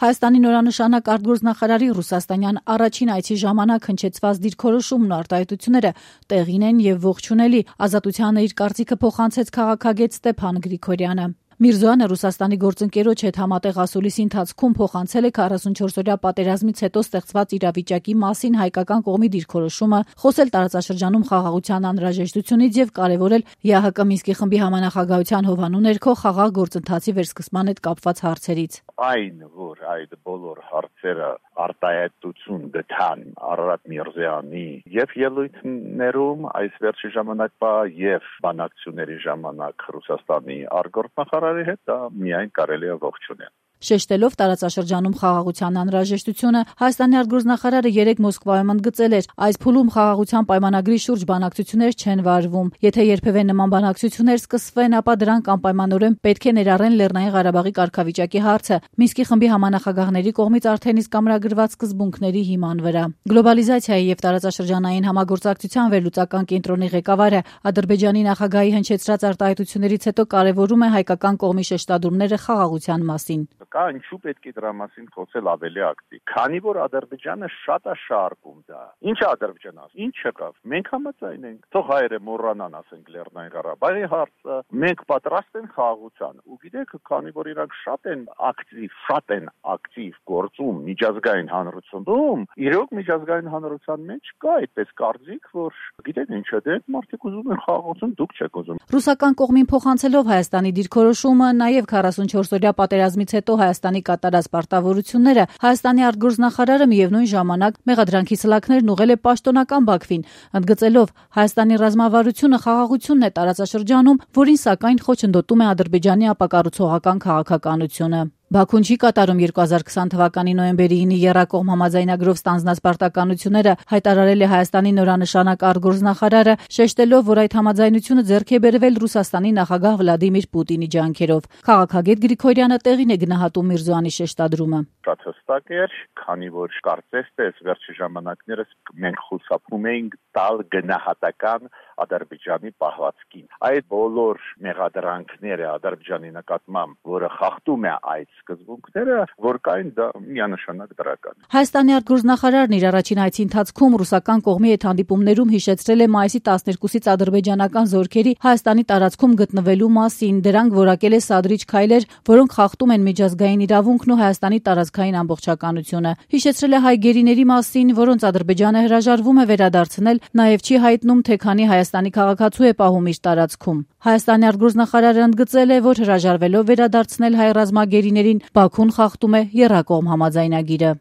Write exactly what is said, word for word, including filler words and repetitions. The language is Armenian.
Հայաստանի նորանշանակ արտգործնախարարի ռուսաստանյան առաջին այցի ժամանակ հնչեցված դիրքորոշումն ու արտահայտությունները տեղին են եւ ողջունելի, Ազատությանը իր կարծիքը փոխանցեց քաղաքագետ Ստեփան Գրիգորյանը։ Միրզոյանը Ռուսաստանի գործընկերոջ հետ համատեղ ասուլիսի ընթացքում փոխանցել է քառասունչորսօրյա պատերազմից հետո ստեղծված իրավիճակի մասին հայկական կողմի դիրքորոշումը, խոսել տարածաշրջանում խաղաղության անհրաժեշտությունից եւ կարեւորել ԵԱՀԿ Մինսկի խմբի համանախագահության հովանու ներքո խաղաղ գործընթացի վերսկսման հետ կապված հարցերից։ Այն, որ այդ բոլոր հարցերը արտահայտություն գտան Արարատ Միրզոյանի եւ ելույթներում այս վերջի ժամանակվա եւ բանակցությունների ժամանակ Ռուսաստանի արտգործնախարարի հետ դա միայն կարելի է ողջունել։ Շեշտելով տարածաշրջանում խաղաղության անհրաժեշտությունը, Հայաստանի արտգործնախարարը երեկ Մոսկվայում ընդգծել էր, այս փուլում խաղաղության պայմանագրի շուրջ բանակցություններ չեն վարվում։ Եթե երբևէ նման բանակցություններ սկսվեն, ապա դրանք անպայմանորեն պետք է ներառեն Լեռնային Ղարաբաղի կարգավիճակի հարցը, Մինսկի խմբի համանախագահների կողմից արդեն իսկ ամրագրված սկզբունքների հիման վրա։ Գլոբալիզացիայի եւ տարածաշրջանային համագործակցության վերլուծական կենտրոնի ղեկավարը Ադրբեջանի նախագահի հնչեցրած արտահայտություններից հետո կարևորում է հայկական կողմի շեշտադրումները խաղաղության մասին։ Կա ինչու պետք է դրա մասին խոսել ավելի ակտիվ, քանի որ Ադրբեջանը շատ է շարքում դա։ Ինչ է Ադրբեջանը, ինչ եղավ։ Մենք համաձայն ենք, թող հայերը մոռանան, ասենք Լեռնային Ղարաբաղի հարցը, մենք պատրաստ ենք խաղաղության։ Ու գիտեք, քանի որ իրանք շատ են ակտիվ, շատ են ակտիվ գործում միջազգային հանրությունում, իրոք միջազգային հանրության մեջ կա այդպես կարծիք, որ գիտեք ինչ է, դե մարդիկ ուզում են խաղաղություն, դուք չեք ուզում։ Ռուսական կողմին փոխանցելով Հայաստանի դիրքորոշումը, նաև քառասունչորսօրյա պատերազմից հետո Հայաստանի կատարած պարտավորությունները, Հայաստանի արտգործնախարարը միևնույն ժամանակ մեղադրանքի սլաքներն ուղղել է պաշտոնական Բաքվին, ընդգծելով Հայաստանի ռազմավարությունը խաղաղությունն է տարածաշրջանում, որին սակայն խոչընդոտում է Ադրբեջանի ապակառուցողական քաղաքականությունը։ Բաքուն չի կատարում երկու հազար քսան թվականի նոյեմբերի ինի եռակողմ համաձայնագրով ստանձնած պարտականությունները, հայտարարել է Հայաստանի նորանշանակ արտգործնախարարը, շեշտելով, որ այդ համաձայնությունը ձեռք է բերվել Ռուսաստանի նախագահ Վլադիմիր Պուտինի ջանքերով։ Քաղաքագետ Գրիգորյանը տեղին է գնահատում Միրզոյանի շեշտադրումը։ Շատ հստակ էր, քանի որ կարծես թե վերջի ժամանակներս մենք խուսափում էինք տալ գնահատական Ադրբեջանի պահվածքին։ Այդ բոլոր մեղադրանքները Ադրբեջանի նկատմամբ, որը խախտում է այդ սկզբունքները, որ կային, դա միանշանակ դրական։ Հայաստանի արտգործնախարարն իր առաջին այցի ընթացքում ռուսական կողմի հետ հանդիպումներում հիշեցրել է մայիսի տասներկուսից ադրբեջանական զորքերի Հայաստանի տարածքում գտնվելու մասին, դրանք որակել է սադրիչ քայլեր, որոնք խախտում են միջազգային իրավունքն ու Հայաստանի տարածքային ամբողջականությունը։ Հիշեցրել է հայ գերիների մասին, որոնց Ադրբեջանը հրաժարվում է վերադարձնել, նաև չի հայտնում, թե քանի Հայաստանի քաղաքացու է պահում իր տարածքում։ Հայաստանի արտգործնախարարը ընդգծել է, որ հրաժարվելով վերադարձնել հայ ռազմագերիներին, Բաքուն խախտում է եռակողմ համաձայնագիրը։